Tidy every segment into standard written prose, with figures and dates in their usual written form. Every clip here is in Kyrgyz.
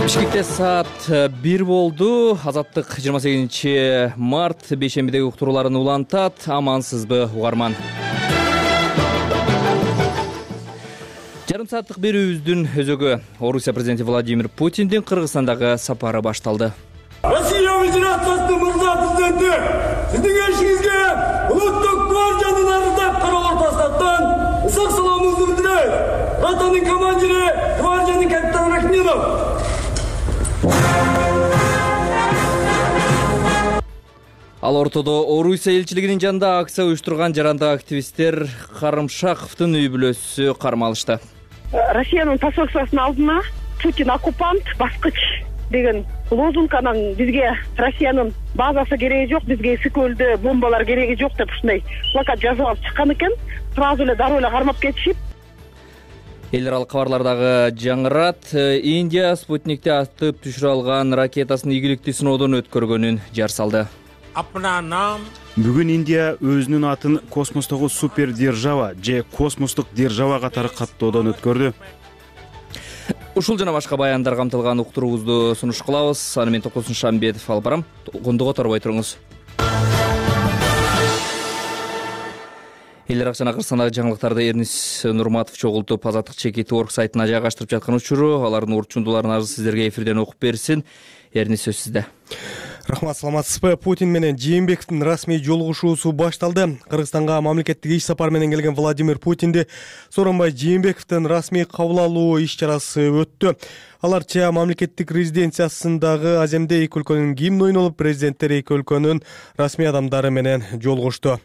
Бишкекте саат 1 болду. Азаттык 28 март бейшембидеги уктурууларын улантат. Амансызбы угарман? Жарым сааттык берүүбүздүн өзөгү Орусия президенти Владимир Путиндин Кыргызстандагы сапары башталды. Россия Федерациясынын мырза президенти, сиздин келишиңизге улуттук гвардиянын ардап карабар бастаттан ысык саламыбызды билдирет. Ротанын командири гвардиянын капитаны Рахминов. Ал ортодо Орусия элчилигинин жанында акция уюштурган жарандык активисттер Карымшаковдун үй бүлөсү кармалышты. Россиянын посольствосунун алдына Путин оккупант, баскыч деген лозунг анан бизге Россиянын базасы кереги жок, бизге Ысык-Көлдө бомбалар кереги жок деп ушундай плакат жазып алып чыккан экен. Сразу эле дароо эле кармап кетишип. Эл аралык кабарлардагы жаңырат. Индия Спутникти атып түшүрө алган ракетасын ийгиликтүү сыноодон өткөргөнүн жар салды. Бүгүн Индия өзүнүн атын космостогу супер держава же космостук держава катары каттоодон өткөрдү. Ушул жана башка баяндар камтылган уктуруубузду сунуш кылабыз. Аны мен Токосун Шамбетов алып барам. Кондуго торбой туруңуз. Эл арак жана Кыргызстандагы жаңылыктарды Эрнис Нурматов чогултуп Азаттык чекит орг сайтына жайгаштырып жаткан учуру. Алардын урчундууларын азыр сиздерге эфирден окуп берсин. Эрнис, сөз сизде. Рахмат, саламатсызбы? Путин менен Жээнбековдун расмий жолугушуусу башталды. Кыргызстанга мамлекеттик иш сапар менен келген Владимир Путинди Сооронбай Жээнбековдун расмий кабыл алуу иш чарасы өттү. Аларча мамлекеттик резиденциясындагы Аземде эки өлкөнүн гимни ойнолуп, президенттер эки өлкөнүн расмий адамдары менен жолугушту.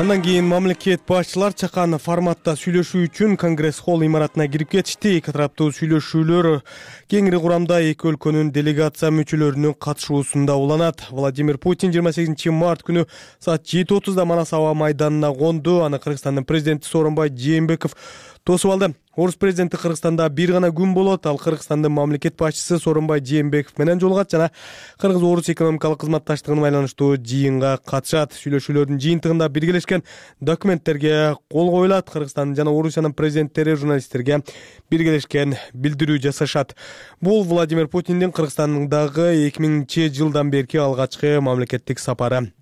Андан кийин мамлекет башчылар чакан форматта сүйлөшүү үчүн Конгресс-холл имаратына кирип кетишти. Эки тараптуу сүйлөшүүлөр кеңири курамда эки өлкөнүн делегация мүчөлөрүнүн катышуусунда уланат. Владимир Путин 28 март күнү саат 7:30 Манас аба майданына конду. Аны Кыргызстандын президенти Сооронбай Жээнбеков тосуп алды. Орус президенти Кыргызстанда бир гана күн болот. Ал Кыргызстандын мамлекет башчысы Сооронбай Жээнбеков менен жолугат жана Кыргыз-Орус экономикалык кызматташтыгына байланыштуу жыйынга катышат. Сүйлөшүүлөрдүн жыйынтыгында биргелешкен документтерге кол коюлат. Кыргызстан жана Орусиянын президенттери журналисттерге биргелешкен билдирүү жасашат. Бул Владимир Путиндин Кыргызстандагы 2000-жылдан берки алгачкы мамлекеттик сапары.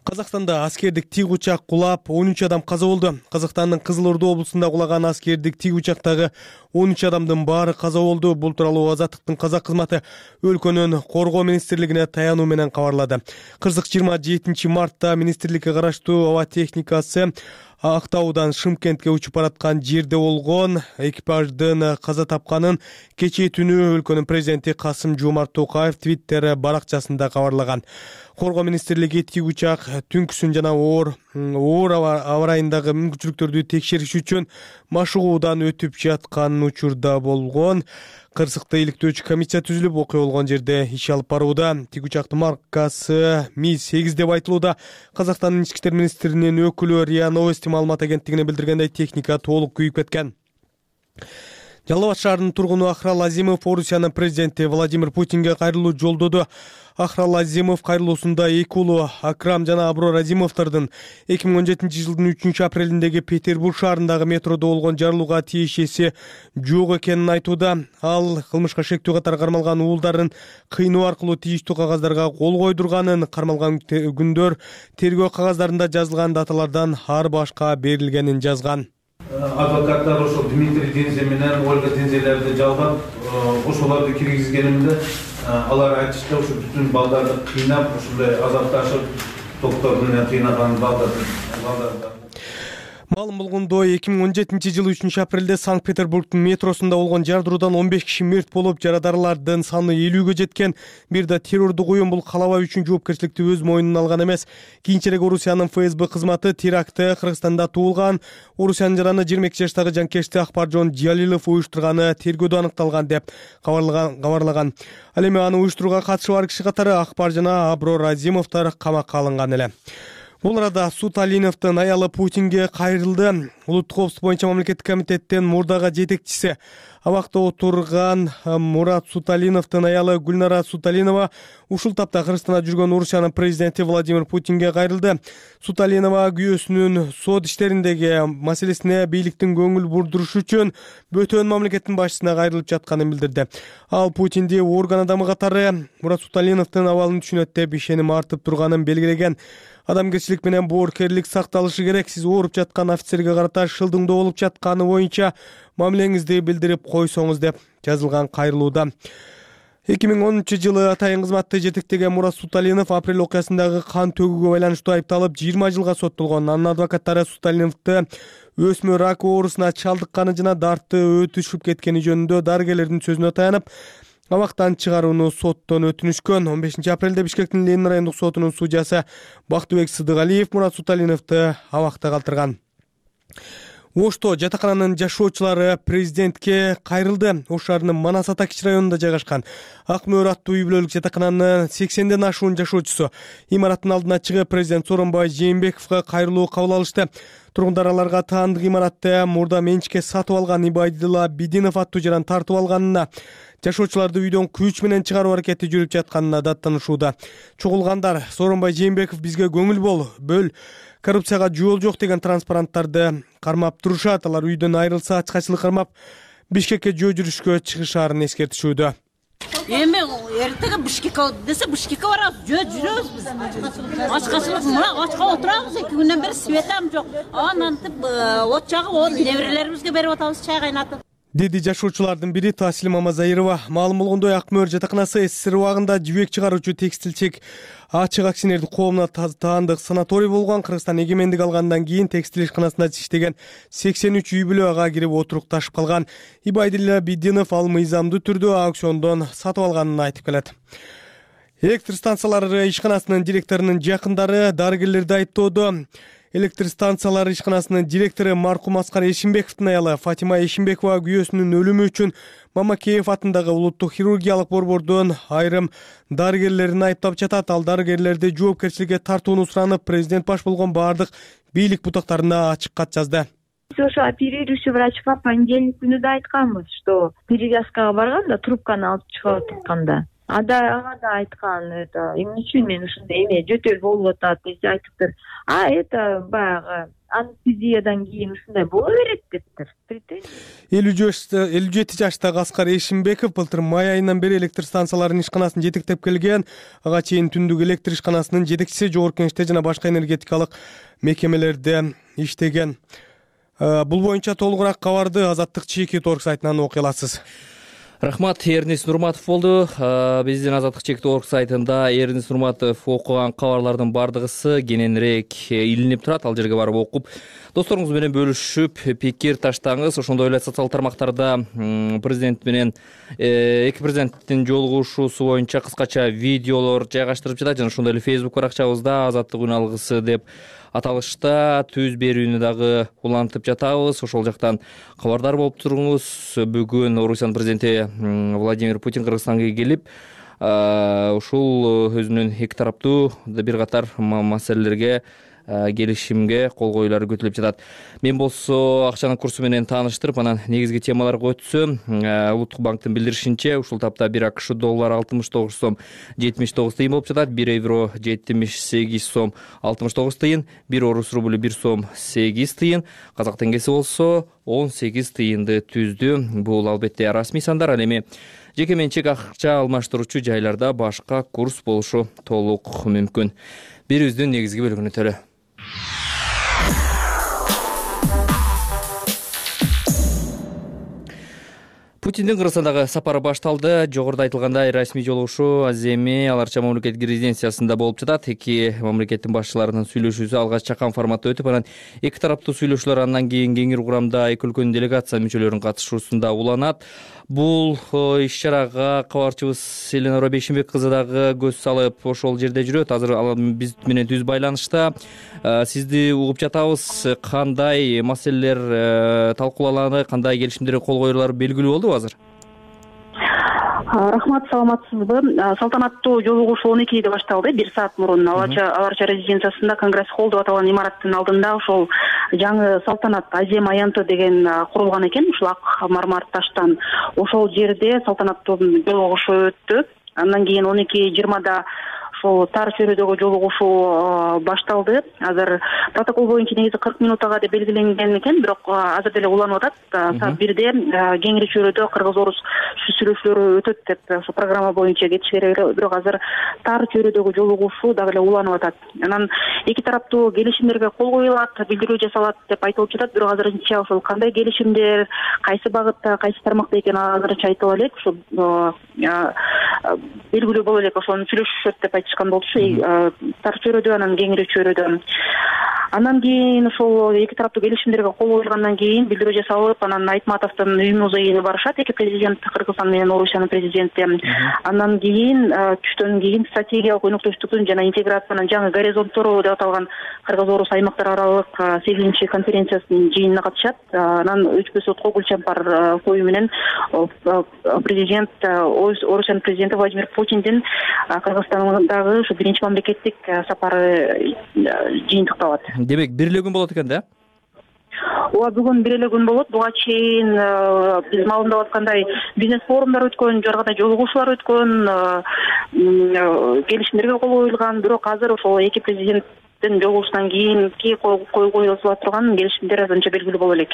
Казакстанда аскердик тик учак кулап 13 адам каза болду. Казакстандын Кызыл Орду облусунда кулаган аскердик тик учактагы 13 адамдын баары каза болду. Бул тууралуу Азаттыктын казак кызматы өлкөнүн коргоо министрлигине таянуу менен кабарлады. Кырсык 27 мартта министрликке караштуу аба техникасы Актаудан Шымкентке учуп бараткан жерде болгон. Экипаждын каза тапканын кечээ түнү өлкөнүн президенти Касым-Жомарт Токаев Твиттер баракчасында кабарлаган. Коргоо министрлиги тик учак түнкүсүн жана оор аба ырайындагы мүмкүнчүлүктөрдү текшериш үчүн машыгуудан өтүп жаткан учурда болгон. Кырсыкта иликтөөчү комиссия түзүлүп, окуя болгон жерде иш алып барууда. Тик учактын маркасы Ми-8 деп айтылууда. Казакстандын ички иштер министринин өкүлү РИА Новости маалымат агенттигине билдиргендей, техника толук күйүп кеткен. Жалал Абад шаарынын тургуну Ахрал Азимов Орусиянын президенти Владимир Путинге кайрылуу жолдоду. Ахрал Азимов кайрылуусунда эки уулу Акрам жана Аброр Азимовдордун 2017 жылдын 3 апрелиндеги Петербург шаарындагы метродо болгон жарылууга тиешеси жок экенин айтууда. Ал кылмышка шектүү катары кармалган уулдарын кыйноо аркылуу тийиштүү кагаздарга кол койдурганын, кармалган күндөр тергөө кагаздарында жазылган даталардан ар башка берилгенин жазган. Адвокаттар ошол Дмитрий Дензе менен Ольга Дензелерди жалгап, ошолорду киргизгенимде алар айтышты, ошо бүтүн балдарды кыйнап, ушундай азапташып, доктор менен кыйнаган балдарды. Маалым болгондой, 2017 жылы 3 апрелде Санкт-Петербургдун метросунда болгон жардыруудан 15 киши мерт болуп, жарадарлардын саны 50ге жеткен. Бир да террордук уюм бул калабай үчүн жоопкерчиликти өз мойнуна алган эмес. Кийинчерээк Орусиянын ФСБ кызматы терактты Кыргызстанда туулган Орусиянын жараны 22 жаштагы жанкечти Акбаржон Жалилов уюштурганы тергөөдө аныкталган деп кабарлаган. Ал эми аны уюштурууга катышы бар киши катары Акбар жана Аброр Азимовдор камакка алынган эле. Бул арада Суталиновдун аялы Путинге кайрылды. Улуттук коопсуздук боюнча мамлекеттик комитеттин мурдагы жетекчиси абакта отурган Мурат Суталиновдун аялы Гүлнара Суталинова ушул тапта Кыргызстанда жүргөн Орусиянын президенти Владимир Путинге кайрылды. Суталинова күйөөсүнүн сот иштериндеги маселесине бийликтин көңүл бурдурушу үчүн бөтөн мамлекеттин башчысына кайрылып жатканын билдирди. Ал Путинди орган адамы катары Мурат Суталиновдун абалын түшүнөт деп ишеним артып турганын белгилеген. Адамгерчилик менен боорукерлик сакталышы керек. Сиз ооруп жаткан офицерге карата шылдыңдоо болуп жатканы боюнча мамилеңизди билдирип койсоңуз деп жазылган кайрылууда. 2010-жылы атайын кызматты жетектеген Мурат Суталинов апрель окуясындагы кан төгүүгө байланыштуу айыпталып 20 жылга соттолгон. Анын адвокаттары Суталиновду өсмөр рак оорусуна чалдыкканы жана дарты өтүшүп кеткени жөнүндө дарыгерлердин сөзүнө таянып абактан чыгарууну соттон өтүнүшкөн. 15 апрелде Бишкектин Ленин райондук сотунун судьясы Бактыбек Сыдыгалиев Мурат Суталиновду абакта калтырган. Ошто жатакананын жашоочулары президентке кайрылды. Ош шаарынын Манас ата кичи районунда жайгашкан Ак мөөр аттуу үй бүлөлүк жатакананын 80ден ашуун жашоочусу имараттын алдына чыгып президент Сооронбай Жээнбековго кайрылуу кабыл алышты. Тургундар аларга таандык имаратты мурда менчикке сатып алган Ибайдилла Бидинов аттуу жаран тартып алганына, жашоочуларды үйдөн күч менен чыгаруу аракети жүрүп жатканына даттанышууда. Чогулгандар Сооронбай Жээнбеков бизге көңүл бөл, коррупцияга жол жок деген транспаранттарды кармап турушат. Алар үйдөн айрылса ачкачылык кармап Бишкекке жөө жүрүшкө чыгышаарын эскертишүүдө. Эми эртеге Бишкекке десе Бишкекке барабыз, жөө жүрөбүз биз. Ачкачылык мына ачка отурабыз, 2 күндөн бери светам жок. Анантип от жагып, неберелерибизге берип атабыз чай кайнатып. Деди жашоочулардын бири Таслим Мамазаирова. Маалым болгондой, Ак мөөр жатаканасы СССР убагында жибек чыгаруучу текстилчек ачык акционердик коомуна таандык санаторий болгон. Кыргызстан эгемендик алгандан кийин текстил ишканасында иштеген 83 үй бүлө ага кирип отурукташып калган. Ибайдилла Бидинов ал мыйзамдуу түрдө аукциондон сатып алганын айтып келет. Электр станциялары ишканасынын директорунун жакындары дарыгерлерди айыптоодо. Электр станциялары ишканасынын директору маркум Аскар Эшимбековдун аялы Фатима Эшимбекова күйөөсүнүн өлүмү үчүн Мамакеев атындагы улуттук хирургиялык борбордун айрым дарыгерлерин айыптап жатат. Ал дарыгерлерди жоопкерчиликке тартууну суранып, президент баш болгон бардык бийлик бутактарына ачык кат жазды. Ошо оперирующий врачка понедельник күнү да айтканбыз, что перевязкага барганда трубканы алып чыгып атканда. Ага да айткан, эмне үчүн мен ушундай эме жөтөл болуп атат деп айтыптыр. Баягы анестезиядан кийин ушундай боло берет дептир. 57 жаштагы Аскар Эшимбеков былтыр май айынан бери электр станцияларынын ишканасын жетектеп келген. Ага чейин түндүк электр ишканасынын жетекчиси, жогорку кеңеште жана башка энергетикалык мекемелерде иштеген. Бул боюнча толугураак кабарды Азаттык Чекит.орг сайтынан окуй аласыз. Рахмат, Эрнис Нурматов болду. Биздин Азаттык Чекит.орг сайтында Эрнис Нурматов окуган кабарлардын бардыгысы кененирээк илинип турат. Ал жерге барып окуп, досторуңуз менен бөлүшүп, пикир таштаңыз. Ошондой эле социалдык тармактарда президент менен эки президенттин жолугушуусу боюнча кыскача видеолор жайгаштырып жатат. Жана ошондой эле Facebook баракчабызда Азаттык үн алгысы деп аталышта түз берүүнү дагы улантып жатабыз. Ошол жактан кабардар болуп туруңуз. Бүгүн Орусиянын президенти Владимир Путин Кыргызстанга келип, ушул өзүнүн эки тараптуу бир катар маселелерге келишимге кол коюулары күтүлүп жатат. Мен болсо акчанын курсу менен тааныштырып, анан негизги темаларга өтсөм, Улуттук банктын билдиришинче, ушул тапта 1 АКШ доллары 69 сом 79 тыйын болуп жатат, 1 евро 78 сом 69 тыйын, 1 орус рублю 1 сом 8 тыйын, казак теңгеси болсо 18 тыйынды түздү. Бул албетте расмий сандар. Ал эми жеке менчик акча алмаштыруучу жайларда башка курс болушу толук мүмкүн. Бирибиздин негизги бөлүгүнө төлө. Путиндин Кыргызстандагы сапары башталды. Жогоруда айтылгандай, расмий жолугушуу Аземи аларча мамлекеттик резиденциясында болуп жатат. Эки мамлекеттин башчыларынын сүйлөшүүсү алгач чакан форматта өтүп, анан эки тараптуу сүйлөшүүлөр андан кийин кеңири курамда эки өлкөнүн делегация мүчөлөрүнүн катышуусунда уланат. Бул иш-чарага кабарчыбыз Эленора Бейшимбек кызы дагы көз салып ошол жерде жүрөт. Азыр ал биз менен түз байланышта. Сизди угуп жатабыз. Кандай маселелер талкууланды, кандай келишимдерге кол коюлары белгилүү болду азыр? Рахмат, саламатсызбы? Салтанаттуу жолугушуу 12:00 башталды, 1 саат мурун Аларча резиденциясында Конгресс холл деп аталган имараттын алдында ошол жаңы салтанат Азем аянты деген курулган экен, ушул ак мармар таштан. Ошол жерде салтанаттуу жолугушуу өттү. Андан кийин 12:20 ошол тар чөйрөдөгү жолугушуу башталды. Азыр протокол боюнча негизи 40 минутага деп белгиленген экен, бирок азыр деле уланып атат. Саат 1-де кеңири чөйрөдө кыргыз-орус сүйлөшүүлөрү өтөт деп ошо программа боюнча кетиш керек, бирок азыр тар чөйрөдөгү жолугушуу дагы эле уланып атат. Анан эки тараптуу келишимдерге кол коюлат, билдирүү жасалат деп айтылып жатат, бирок азырынча ошол кандай келишимдер, кайсы багытта, кайсы тармакта экени азырынча айтыла элек. Ошо белгилүү боло элек, ошону сүйлөшүшөт деп айтышкан болчу, тар чөйрөдө, анан кеңири чөйрөдө. Андан кийин ошол эки тараптуу келишимдерге кол коюлгандан кийин билдирүү жасалып, анан Айтматовдун үй музейине барышат эки президент, Кыргызстан менен Орусиянын президенти. Андан кийин түштөн кийин стратегиялык өнөктөштүктүн жана интеграциянын жаңы горизонттору деп аталган Кыргыз-Орус аймактар аралык 8-чи конференциясынын жыйынына катышат. Анан өчпөс отко гүл чампар коюу менен президент, Орусиянын президенти Владимир Путиндин Кыргызстандагы ушу биринчи мамлекеттик сапары жыйынтыкталат. Демек, бир эле күн болот экен да? Ооба, бүгүн бир эле күн болот. Буга чейин биз маалымдап аткандай бизнес форумдар өткөн, жаргада жолугушуулар өткөн, келишимдерге кол коюлган, бирок азыр ошол эки президенттин жолугушуудан кийинки кол коюла турган келишимдер азырынча белгилүү боло элек.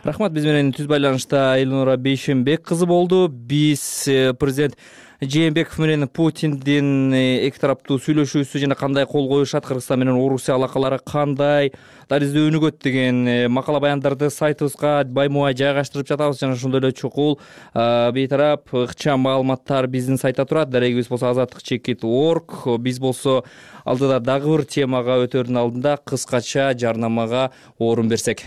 Рахмат, биз менен түз байланышта Элнура Бейшенбек кызы болду. Биз президент Жээнбеков менен Путиндин эки тараптуу сүйлөшүүсү жана кандай кол коюшат, Кыргызстан менен Орусия алакалары кандай, даризде өнүгөт деген макала баяндарды сайтыбызга баймубай жайгаштырып жатабыз жана ошондой эле чукул бейтарап ыкчам маалыматтар биздин сайтта турат. Дарегибиз болсо azatdыкchekit.org. Биз болсо алдыда дагы бир темага өтөрдүн алдында кыскача жарнамага орун берсек.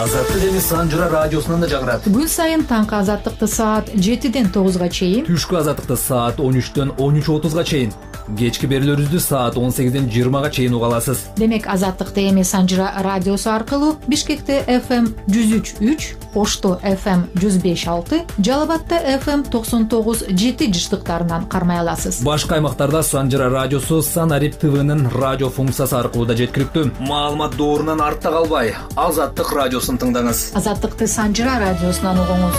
Азаттык эми Санжыра радиосунан да жагырат. Күн сайын таңкы азаттыкты саат 7-ден 9-га чейин, түшкү азаттыкты саат 13-төн 13:30-га чейин, кечки берүүлөрүбүздү саат 18-ден 20-га чейин уга аласыз. Демек, азаттыкты эми Санжыра радиосу аркылуу Бишкекте FM 103.3, Ошто FM 105.6, Жалал Абадта FM 99.7 жыштыктарынан кармай аласыз. Башка аймактарда Санжыра радиосу Санарип ТВнын радио функциясы аркылуу да жеткиликтүү. Маалымат доорунан артта калбай, Азаттык радиосун тыңдаңыз. Азаттыкты Санжыра радиосунан угуңуз.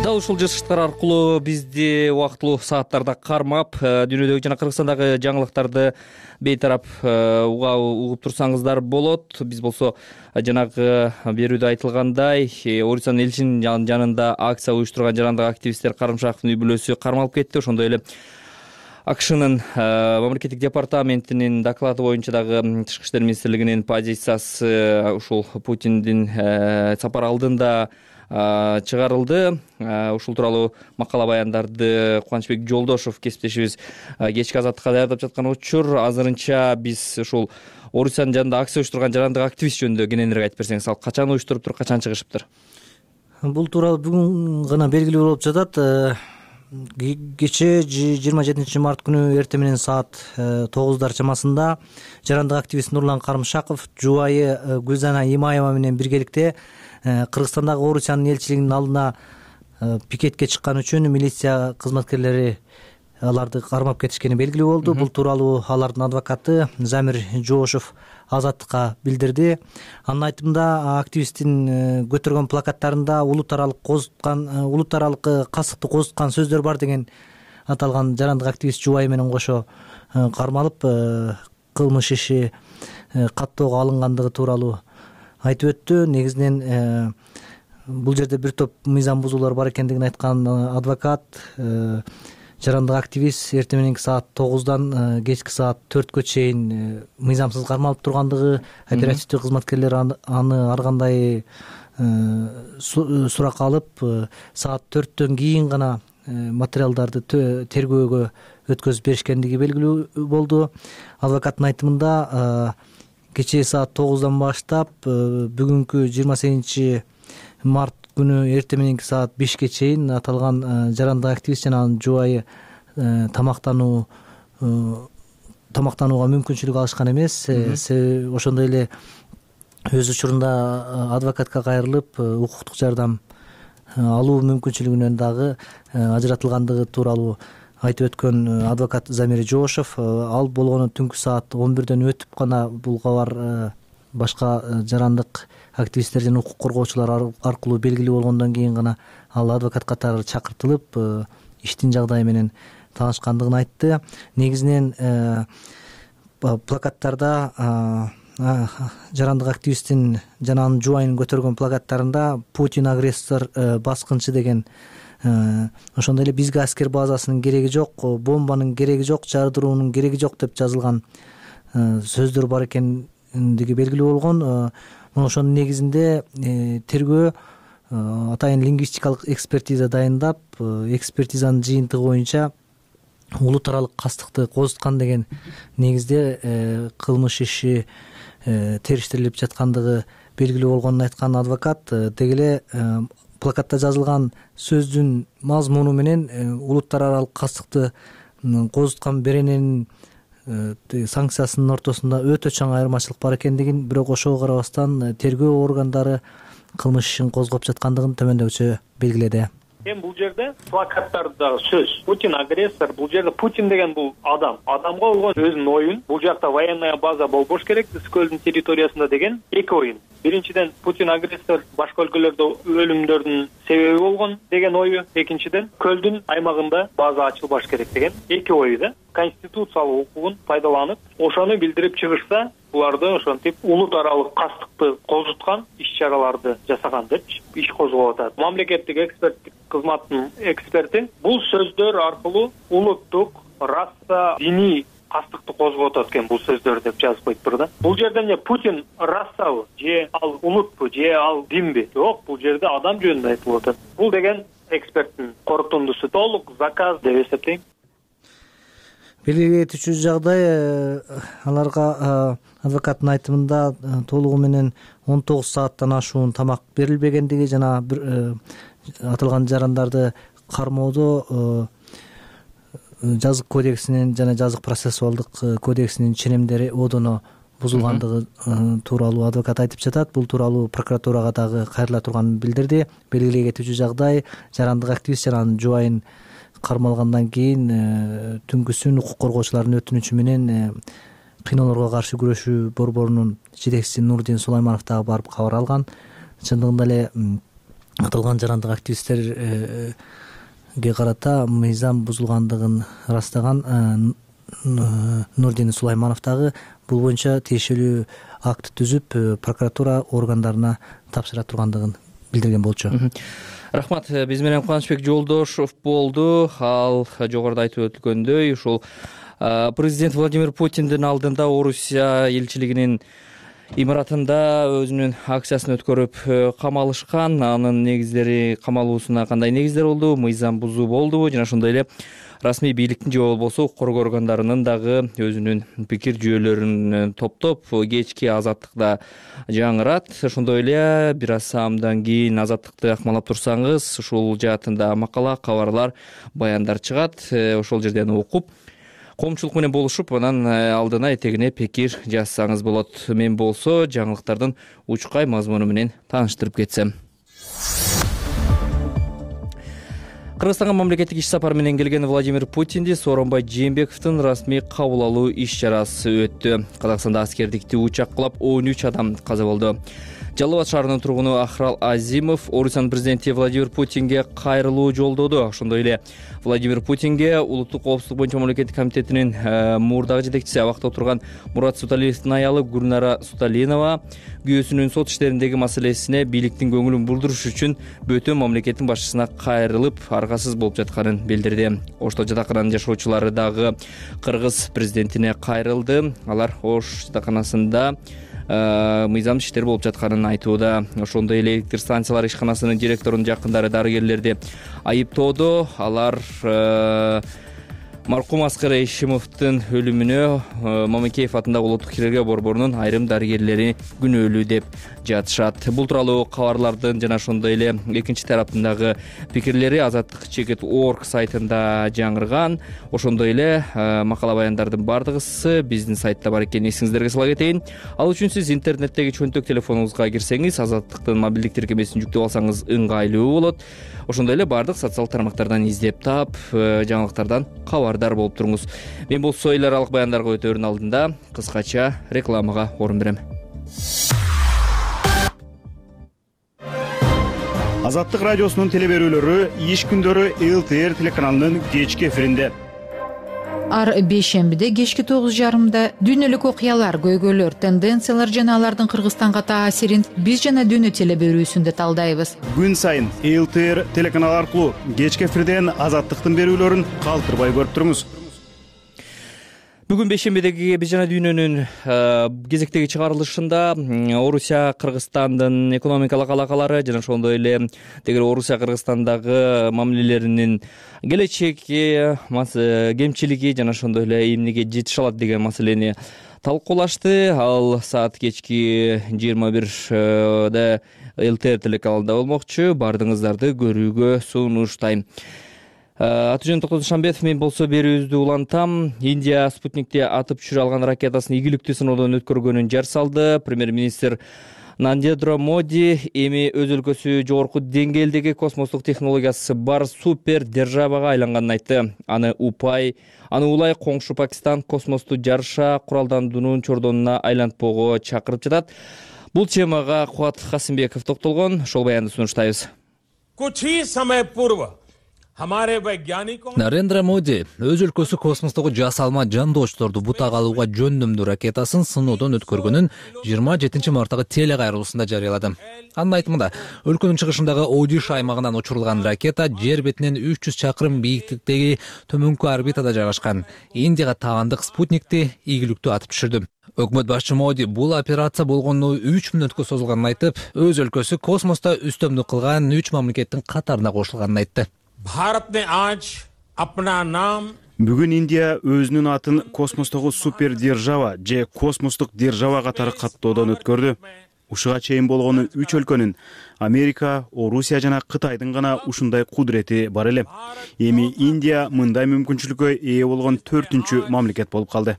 Дал ушул жыштыктар аркылуу бизди убактылуу сааттарда кармап, дүйнөдөгү жана Кыргызстандагы жаңылыктарды бейтарап угуп турсаңыздар болот. Биз болсо жанагы берүүдө айтылгандай, Орусиянын элчинин жанында акция уюштурган жарандык активисттер Карымшаковдун үй бүлөсү кармалып кетти. Ошондой эле АКШнын мамлекеттик департаментинин доклады боюнча дагы Тышкы иштер министрлигинин позициясы ушул Путиндин сапар алдында чыгарылды. Ушул тууралуу макала баяндарды Кубанычбек Жолдошов кесиптешибиз кечки азаттыкка даярдап жаткан учур. Азырынча биз ушул Орусиянын жанында акция уюштурган жарандык активист жөнүндө кененирээк айтып берсеңиз, ал качан уюштуруптур, качан чыгышыптыр? Бул тууралуу бүгүн гана белгилүү болуп жатат. Кечээ 27 март күнү эртең менен саат 9 чамасында жарандык активист Нурлан Карымшаков жубайы Гүлзана Имаева менен биргеликте Кыргызстандагы Орусиянын элчилигинин алдына пикетке чыккан үчүн милиция кызматкерлери аларды кармап кетишкени белгилүү болду. Бул тууралуу алардын адвокаты Замир Жоошев Азаттыкка билдирди. Анын айтымында активисттин көтөргөн плакаттарында улут аралык касыкты козуткан сөздөр бар деген аталган жарандык активист жубайы менен кошо кармалып, кылмыш иши каттоого алынгандыгы тууралуу айтып өттү. Негизинен бул жерде бир топ мыйзам бузуулар бар экендигин айткан адвокат жарандык активист эртең мененки саат 9-дан кечки саат 4-кө чейин мыйзамсыз кармалып тургандыгы, оперативдик кызматкерлер аны ар кандай суракка алып, саат 4-төн кийин гана материалдарды тергөөгө өткөзүп беришкендиги белгилүү болду. Адвокаттын айтымында кечээ саат 9-дан баштап бүгүнкү 28 март күнү эртең мененки саат 5-ке чейин аталган жарандык активист жана анын жубайы тамактанууга мүмкүнчүлүк алышкан эмес. Ошондой эле өз учурунда адвокатка кайрылып, укуктук жардам алуу мүмкүнчүлүгүнөн дагы ажыратылгандыгы тууралуу айтып өткөн адвокат Замир Жоошев, ал болгону түнкү саат 11ден өтүп гана бул кабар башка жарандык активисттер жана укук коргоочулар аркылуу белгилүү болгондон кийин гана ал адвокат катары чакыртылып иштин жагдайы менен таанышкандыгын айтты. Негизинен плакаттарда жарандык активисттин жана анын жубайынын көтөргөн плакаттарында Путин агрессор, баскынчы деген, ошондой эле бизге аскер базасынын кереги жок, бомбанын кереги жок, жардыруунун кереги жок деп жазылган сөздөр бар экендиги белгилүү болгон. Ошонун негизинде тергөө атайын лингвистикалык экспертиза дайындап, экспертизанын жыйынтыгы боюнча улут аралык кастыкты козуткан деген негизде кылмыш иши териштирилип жаткандыгы белгилүү болгонун айткан адвокат, деги эле плакатта жазылган сөздүн мазмуну менен улуттар аралык кастыкты козуткан берененин санкциясынын ортосунда өтө чоң айырмачылык бар экендигин, бирок ошого карабастан тергөө органдары кылмыш ишин козгоп жаткандыгын төмөндөгүчө белгиледи. Эми бул жерде плакаттардагы сөз Путин агрессор, бул жерде Путин деген бул адамга болгон өзүнүн оюн, бул жакта военная база болбош керек Ысык көлдүн территориясында деген эки оюн. Биринчиден Путин агрессор башка өлкөлөрдө өлүмдөрдүн себеби болгон деген ою, экинчиден көлдүн аймагында база ачылбаш керек деген эки ою да. Конституциялык укугун пайдаланып, ошону билдирип чыгышса, буларды ошентип улут аралык кастыкты козуткан иш-чараларды жасаган деп иш козголуп атат. Мамлекеттик эксперттик кызматтын эксперти бул сөздөр аркылуу улуттук, раса, диний кастыкты козгоп атат экен бул сөздөр деп жазып коюптур да. Бул жерде эмне Путин расабы, же ал улутпу, же ал динби? Жок, бул жерде адам жөнүндө айтылып атат. Бул деген эксперттин корутундусу толук заказ деп эсептейм. Белгилей кетүүчү жагдай, аларга адвокаттын айтымында толугу менен 19 сааттан ашуун тамак берилбегендиги жана аталган жарандарды кармоодо жазык кодексинин жана жазык процессуалдык кодексинин ченемдери одоно бузулгандыгы тууралуу адвокат айтып жатат. Бул тууралуу прокуратурага дагы кайрыла турганын билдирди. Белгилей кетүүчү жагдай, жарандык активист жана анын жубайын кармалгандан кийин түнкүсүн укук коргоочулардын өтүнүчү менен кыйноолорго каршы күрөшүү борборунун жетекчиси Нурдин Сулайманов дагы барып кабар алган. Чындыгында эле аталган жарандык активисттерге карата мыйзам бузулгандыгын ырастаган Нурдин Сулайманов дагы бул боюнча тиешелүү акт түзүп, прокуратура органдарына тапшыра тургандыгын билдирген болчу. Рахмат. Биз менен Кубанычбек Жолдошов болду. Ал жогоруда айтып өткөндөй, ушул президент Владимир Путиндин алдында Орусия элчилигинин имаратында өзүнүн акциясын өткөрүп камалышкан. Анын негиздери, камалуусуна кандай негиздер болду? Мыйзам бузуу болдубу? Жана ошондой эле расмий бийликтин же болбосо коргоо органдарынын дагы өзүнүн пикир жүйөлөрүн топтоп кечки азаттыкта жаңырат. Ошондой эле бир аз саамдан кийин азаттыкты акмалап турсаңыз, ушул жаатында макала, кабарлар, баяндар чыгат. Ошол жерден окуп, коомчулук менен болушуп, анан алдына этегине пикир жазсаңыз болот. Мен болсо жаңылыктардын учкай мазмуну менен тааныштырып кетсем. Кыргызстанга мамлекеттик иш сапар менен келген Владимир Путинди Сооронбай Жээнбековдун расмий кабыл алуу иш-чарасы өттү. Казакстанда аскердикти учак кулап 13 адам каза болду. Жалал Абад шаарынын тургуну Ахрал Азимов Орусиянын президенти Владимир Путинге кайрылуу жолдоду. Ошондой эле Владимир Путинге улуттук коопсуздук боюнча мамлекеттик комитетинин мурдагы жетекчиси, абакта отурган Мурат Суталиевдин аялы Гүлнара Суталинова күйөөсүнүн сот иштериндеги маселесине бийликтин көңүлүн бурдуруш үчүн бөтөн мамлекеттин башчысына кайрылып, аргасыз болуп жатканын билдирди. Ошто жатакананын жашоочулары дагы кыргыз президентине кайрылды. Алар Ош жатаканасында мыйзам иштер болуп жатканын айтууда. Ошондой эле электр станциялар ишканасынын директорунун жакындары дарыгерлерди айыптоодо. Алар Маркум Аскар Эшимовдун өлүмүнө Мамекеев атындагы улуттук хирургия борборунун айрым дарыгерлери күнөөлүү деп жатышат. Бул тууралуу кабарлардын жана ошондой эле экинчи тараптын пикирлери Азаттык чекит org сайтында жаңырган. Ошондой эле макала баяндардын бардыгысы биздин сайтта бар экенин эсиңиздерге сала кетейин. Ал үчүн сиз интернеттеги чөнтөк телефонуңузга кирсеңиз, Азаттыктын мобилдик тиркемесин жүктөп алсаңыз ыңгайлуу болот. Ошондой эле бардык социалдык тармактардан издеп таап, жаңылыктардан кабардар болуп туруңуз. Мен болсо эл аралык баяндарга өтөөрүн алдында кыскача рекламага орун берем. Азаттык радиосунун телеберүүлөрү иш күндөрү ЛТР телеканалынын кечки эфиринде. Ар бейшембиде кечки 9:30 дүйнөлүк окуялар, көйгөйлөр, тенденциялар жана алардын Кыргызстанга таасирин биз жана дүйнө телеберүүсүндө талдайбыз. Күн сайын ЛТР телеканалы аркылуу кечки эфирден Азаттыктын берүүлөрүн калтырбай көрүп туруңуз. Бүгүн бейшембидеги биз жана дүйнөнүн кезектеги чыгарылышында Орусия Кыргызстандын экономикалык алакалары жана ошондой эле Орусия Кыргызстандагы мамилелеринин келечеги, кемчилиги жана ошондой эле эмнеге жетише алат деген маселени талкуулашты. Ал саат кечки 21:00 ЛТР телеканалында болмокчу. Бардыгыңыздарды көрүүгө сунуштайм. Атужан Токтодушанбетов, мен болсо берүүбүздү улантам. Индия Спутникти атып түшүрө алган ракетасын ийгиликтүү сыноодон өткөргөнүн жар салды. Премьер-министр Нарендра Моди эми өз өлкөсү жогорку деңгээлдеги космостук технологиясы бар супер державага айланганын айтты. Аны улай коңшу Пакистан космосту жарыша куралдандуунун чордонуна айлантпоого чакырып жатат. Бул темага Кубат Касымбеков токтолгон. Ошол баянды сунуштайбыз. Нарендра Моди өз өлкөсү космостогу жасалма жандоочторду бутак алууга жөндөмдүү ракетасын сыноодон өткөргөнүн 27 марттагы телекайрылуусунда жарыялады. Анын айтымында, өлкөнүн чыгышындагы Одиш аймагынан учурулган ракета жер бетинен 300 чакырым бийиктиктеги төмөнкү орбитада жайгашкан Индияга таандык спутникти ийгиликтүү атып түшүрдү. Өкмөт башчы Моди бул операция болгону 3 мүнөткө созулганын айтып, өз өлкөсү космоста үстөмдүк кылган 3 мамлекеттин катарына кошулганын айтты. Бүгүн Индия өзүнүн атын космостогу супер держава же космостук держава катары каттоодон өткөрдү. Ушуга чейин болгону 3 өлкөнүн Америка, Орусия жана Кытайдын гана ушундай кудурети бар эле. Эми Индия мындай мүмкүнчүлүккө ээ болгон 4-үнчү мамлекет болуп калды.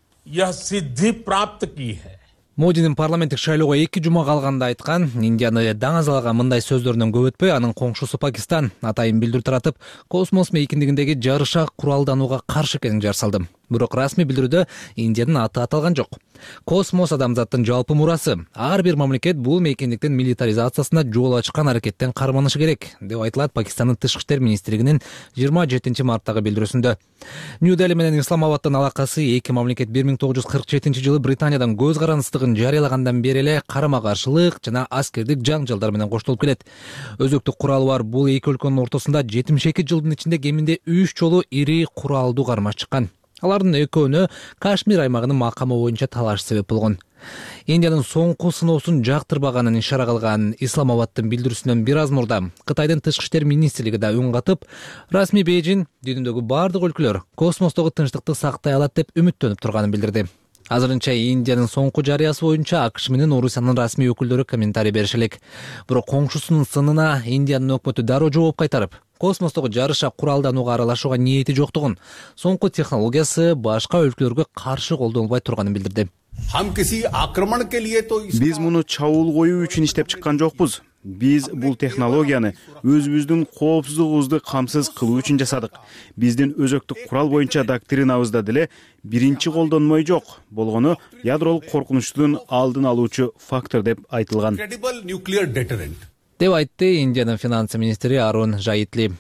Модинин парламенттик шайлоого 2 жума калганда айткан, Индияны даңазалаган мындай сөздөрүнөн көп өтпөй анын коңшусу Пакистан атайын билдирүү таратып, космос мейкиндигиндеги жарыша куралданууга каршы экенин жар салды. Бирок расмий билдирүүдө Индиянын аты аталган жок. Космос адамзаттын жалпы мурасы. Ар бир мамлекет бул мейкиндиктин милитаризациясына жол ачкан аракеттен карманышы керек, деп айтылат Пакистандын тышкы иштер министрлигинин 27 марттагы билдирүүсүндө. Нью-Дели менен Исламабаддын алакасы эки мамлекет 1947-жылы Британиядан көз карандыстыгын жарыялагандан бери эле карама-каршылык жана аскердик жаңжалдар менен коштолуп келет. Өзөктүк куралы бар бул эки өлкөнүн ортосунда 72 жылдын ичинде кеминде 3 жолу ири куралдуу кармаш чыккан. Алардын экөөнө Кашмир аймагынын макамы боюнча талаш себеп болгон. Индиянын соңку сыноосун жактырбаганын ишара кылган Исламабаддын билдирүүсүнөн бир аз мурда Кытайдын тышкы иштер министрлиги да үн катып, расмий Бейжин дүйнөдөгү бардык өлкөлөр космостогу тынчтыкты сактай алат деп үмүттөнүп турганын билдирди. Азырынча Индиянын соңку жарыясы боюнча АКШ менен Орусиянын расмий өкүлдөрү комментарий бериши элек. Бирок коңшусунун сынына Индиянын өкмөтү дароо жооп кайтарып, космостогу жарыша куралданууга аралашууга ниети жоктугун, соңку технологиясы башка өлкөлөргө каршы колдонулбай турганын билдирди. Биз муну чабуул коюу үчүн иштеп чыккан жокпуз. Биз бул технологияны өзүбүздүн коопсуздугубузду камсыз кылуу үчүн жасадык. Биздин өзөктүк курал боюнча доктринабызда деле биринчи колдонмой жок болгону ядролук коркунучтун алдын алуучу фактор деп айтылган. Деп айтты Индиянын финансы министри Арун Жайтли.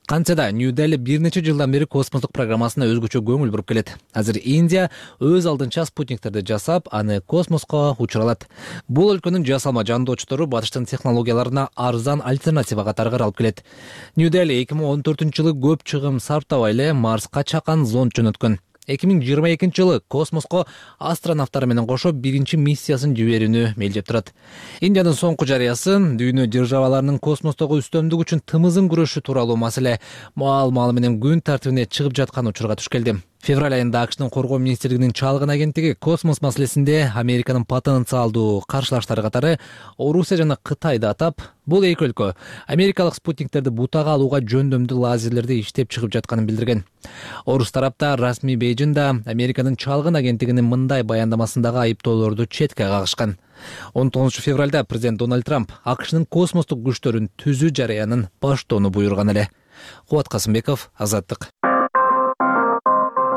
Кантсе да Нью-Дели бир нече жылдан бери космостук программасына өзгөчө көңүл буруп келет. Азыр Индия өз алдынча спутниктерди жасап, аны космоско учуралат. Бул өлкөнүн жасалма жандоочтору батыштын технологияларына арзан альтернатива катары каралып келет. Нью-Дели 2014-жылы көп чыгым сарптабай эле Марска чакан зонд жөнөткөн. 2022-жылы космоско астронавттары менен кошо биринчи миссиясын жиберүүнү мелдеп турат. Индиянын соңку жарыясын дүйнө державаларынын космостогу үстөмдүк үчүн тымызын күрөшү тууралуу маселе маал менен күн тартибине чыгып жаткан учурга туш келди. Февраль айында АКШнын коргоо министрлигинин чалгын агенттиги космос маселесинде Американын потенциалдуу каршылаштары катары Орусия жана Кытайды атап, бул эки өлкө америкалык спутниктерди бутага алууга жөндөмдүү лазерлерди иштеп чыгып жатканын билдирген. Орус тарапта расмий Бейжиңда Американын чалгын агенттигинин мындай баяндамасындагы айыптоолорду четке кагышкан. 19 февралда президент Дональд Трамп АКШнын космостук күчтөрүн түзүү жарыянын баштоону буйруган эле. Кубат Касымбеков, Азаттык.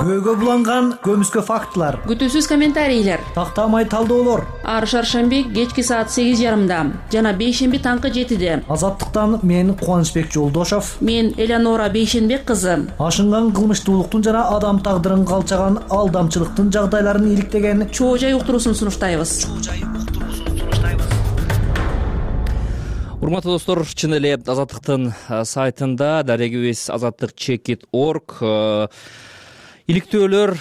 Көөгө буланган көмүскө фактылар, күтүүсүз комментарийлер, тактамай талдоолор. Ар шаршемби кечки саат 8:30 жана бейшемби таңкы 7-де. Азаттыктан мен Кубанычбек Жолдошов, мен Элеонора Бейшенбек кызы. Ашынган кылмыштуулуктун жана адам тагдырын калчаган алдамчылыктын жагдайларын иликтеген чоо жай уктуруусун сунуштайбыз. Урматтуу достор, чын эле Азаттыктын сайтында дарегибиз azattik.org иликтөөлөр,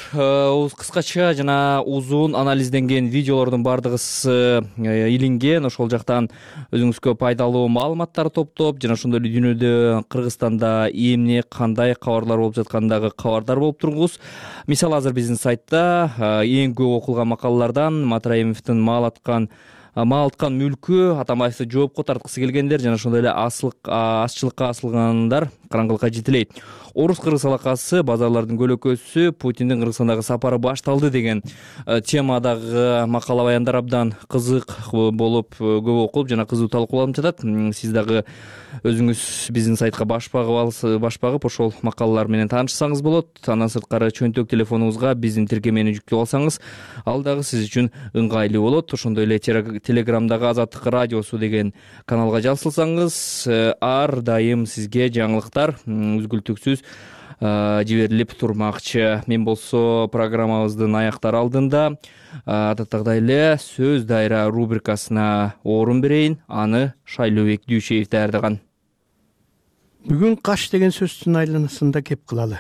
кыскача жана узун анализденген видеолордун бардыгысы илинген. Ошол жактан өзүңүзгө пайдалуу маалыматтар топтоп, жана ошондой эле дүйнөдө Кыргызстанда эмне кандай кабарлар болуп жаткандагы кабардар болуп туруңуз. Мисалы азыр биздин сайтта эң көп окулган макалалардан Матраимовдун маал аткан мүлкү, Атамбаевди жоопко тарткысы келгендер жана ошондой эле азчылыкка асылгандар караңгылыкка жетелейт. Орус-кыргыз алакасы, базарлардын көлөкөсү, Путиндин Кыргызстандагы сапары башталды деген темадагы макала баяндар абдан кызык болуп, көп окулуп жана кызуу талкууланып жатат. Сиз дагы өзүңүз биздин сайтка баш багып ошол макалалар менен таанышсаңыз болот. Андан сырткары чөнтөк телефонуңузга биздин тиркемени жүктөп алсаңыз, ал дагы сиз үчүн ыңгайлуу болот. Ошондой эле Телеграмдагы Азаттык радиосу деген каналга жазылсаңыз, ар дайым сизге жаңылыктар үзгүлтүксүз жиберилип турмакчы. Мен болсо программабыздын аяктар алдында адаттагыдай эле сөз дайра рубрикасына орун берейин. Аны Шайлообек Дүйшеев даярдаган. Бүгүн каш деген сөздүн айланасында кеп кылалы.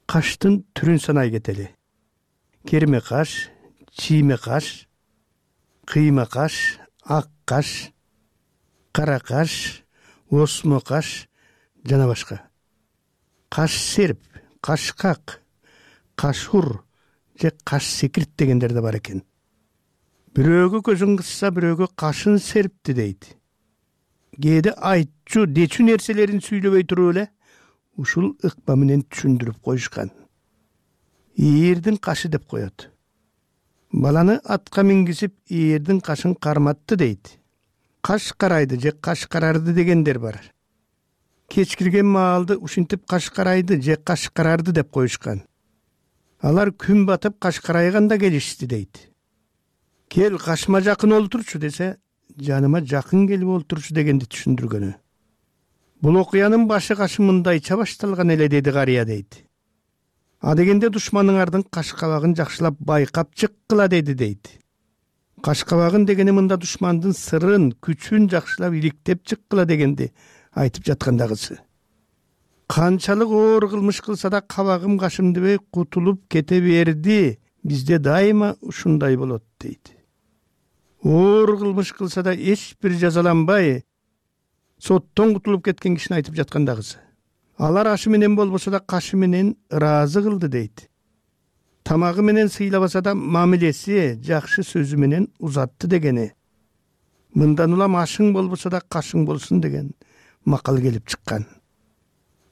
Каштын түрүн санай кетели. Керме каш, чийме каш, кыйма каш, ак каш, кара каш, осмо каш жана башка. Каш серп, кашкак, кашур же каш секирт дегендер да бар экен. Бирөөгө көзүн кысса, бирөөгө кашын серпти дейт. Кээде айтчу, дечү нерселерин сүйлөбөй туруп эле ушул ыкма менен түшүндүрүп коюшкан. Ийирдин кашы деп коет. Баланы атка мингизип, ийирдин кашын карматты дейт. Каш карайды же каш карарды дегендер бар. Кечкирген маалды ушинтип каш карайды же каш карарды деп коюшкан. Алар күн батып каш карайганда келишти дейт. Кел кашыма жакын олтурчу десе, жаныма жакын келип олтурчу дегенди түшүндүргөнү. Бул окуянын башы кашы мындайча башталган эле деди карыя дейт. Дегенде душманыңардын каш кабагын жакшылап байкап чыккыла деди дейт. Каш кабагын дегени мында душмандын сырын, күчүн жакшылап иликтеп чыккыла дегенди айтып жаткандагысы. Канчалык оор кылмыш кылса да кабагым кашым дебей кутулуп кете берди. Бизде дайыма ушундай болот дейт. Оор кылмыш кылса да эч бир жазаланбай, соттон кутулуп кеткен кишини айтып жаткандагысы. Алар ашы менен болбосо да кашы менен ыраазы кылды дейт. Тамагы менен сыйлабаса да мамилеси, жакшы сөзү менен узатты дегени. Мындан улам ашың болбосо да кашың болсун деген макал келип чыккан.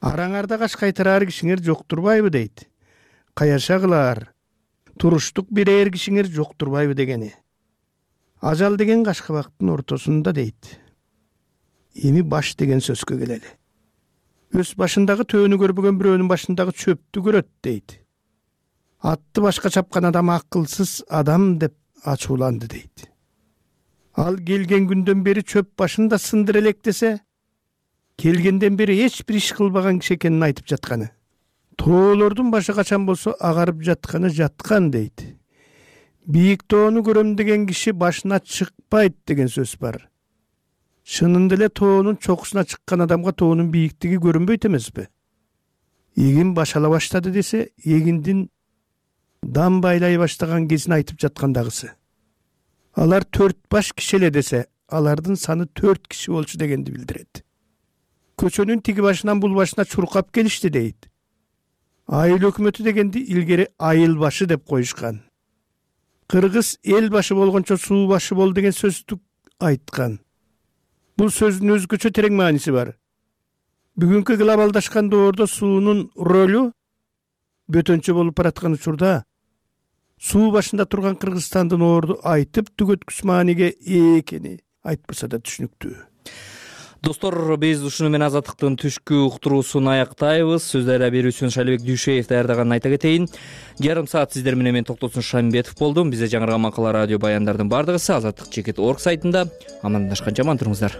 Араңарда каш кайтарар кишиңер жоктурбайбы дейт. Каяша кылар, туруштук берер кишиңер жоктурбайбы дегени. Ажал деген каш кабактын ортосунда дейт. Эми баш деген сөзгө келели. Өз башындагы төөнү көрбөгөн бирөөнүн башындагы чөптү көрөт дейт. Атты башка чапкан адам акылсыз адам деп ачууланды дейт. Ал келген күндөн бери чөп башында сындыр элек десе, келгенден бери эч бир иш кылбаган киши экенин айтып жатканы. Тоолордун башы качан болсо агарып жатканы жаткан дейт. Бийик тоону көрөм деген киши башына чыкпайт деген сөз бар. Чынында эле тоонун чокусуна чыккан адамга тоонун бийиктиги көрүнбөйт эмеспи? Эгин башала баштады десе, эгиндин дам байлай баштаган кезин айтып жаткандагысы. Алар 4 баш киши эле десе, алардын саны 4 киши болчу дегенди билдирет. Көчөнүн тиги башынан бул башына чуркап келишти дейт. Айыл өкмөтү дегенди илгери айыл башы деп коюшкан. Кыргыз эл башы болгончо суу башы бол деген сөздү айткан. Бул сөздүн өзгөчө терең мааниси бар. Бүгүнкү глобалдашкан доордо суунун ролу бөтөнчө болуп бараткан учурда суу башында турган Кыргызстандын орду айтып түгөткүс мааниге ээ экени айтпаса да түшүнүктүү. Достор, биз ушуну менен Азаттыктын түшкү уктуруусун аяктайбыз. Сөздөрү берүүчүсүн Шалибек Дүйшеев даярдаганын айта кетейин. Жарым саат сиздер менен мен Токтосун Шамбетов болдум. Бизде жаңырган макала радио баяндардын бардыгысы Азаттык.org сайтында. Амандашканча аман туруңуздар.